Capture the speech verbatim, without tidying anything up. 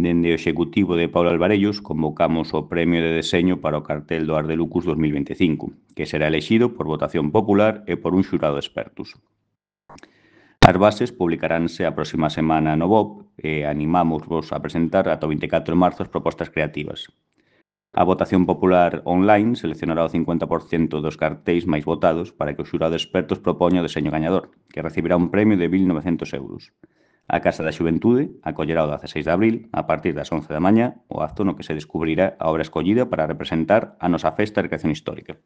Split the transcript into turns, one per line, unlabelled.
Dende o Executivo de Paulo Alvarellos convocamos o Premio de Deseño para o cartel do Ardelucus dos mil veinticinco, que será elixido por votación popular e por un xurado de expertos. As bases publicaránse a próxima semana no B O P e animámosvos a presentar ata o vinte e catro de marzo as propostas creativas. A votación popular online seleccionará o cincuenta por cento dos cartéis máis votados para que o xurado de expertos propoña o deseño gañador, que recibirá un premio de mil novecentos euros. A Casa da Xuventude acollerá o dezaseis de abril, a partir das once da mañá, o acto no que se descubrirá a obra escollida para representar a nosa festa de recreación histórica.